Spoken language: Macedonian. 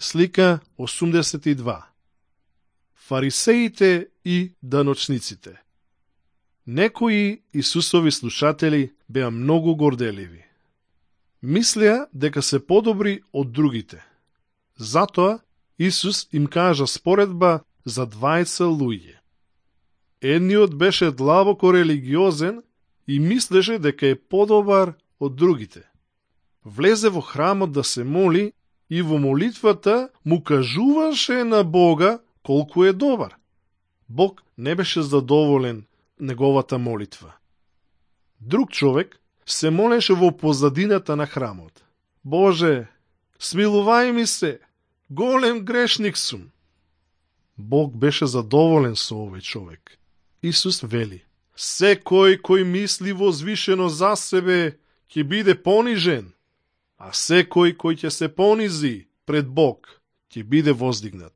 Слика 82. Фарисеите и даночниците. Некои Исусови слушатели беа многу горделиви. Мислеа дека се подобри од другите. Затоа Исус им кажа споредба за двајца луѓе. Едниот беше длабоко религиозен и мислеше дека е подобар од другите. Влезе во храмот да се моли и во молитвата му кажуваше на Бога колку е добар. Бог не беше задоволен неговата молитва. Друг човек се молеше во позадината на храмот. Боже, смилувај ми се, голем грешник сум. Бог беше задоволен со овој човек. Исус вели: секој кој мисли возвишено за себе ќе биде понижен, а секој кој ќе се понизи пред Бог ќе биде воздигнат.